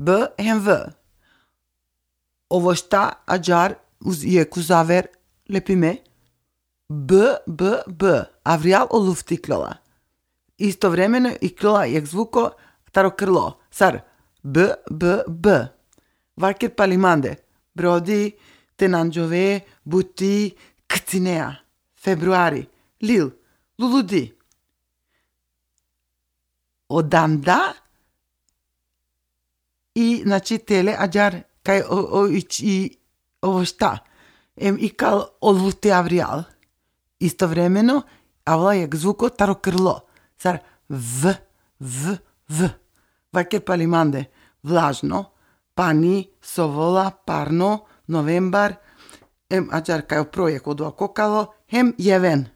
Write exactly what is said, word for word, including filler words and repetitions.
B hem V. Ovo šta ađar uz, jekh uz aver lepime. B, B, B. Avrijal o lufti iklola. Istovremeno iklola jekh zvuko taro krlo. Sar B, B, B. Vaker pali mande. Brodi, te nanđove, buti, kcinea. Februari. Lil. Luludi. O danda i, znači, tele ađar kaj o, o, i, i, ovo šta. Em ikal o lufti avrijal. Istovremeno, avla jekh zvuko taro krlo. Sar V, V, V. Vaker pali mande. Vlažno, pani, sovola, parno, novembar, em ađar kaj o projekt odova kokalo, hem jeven.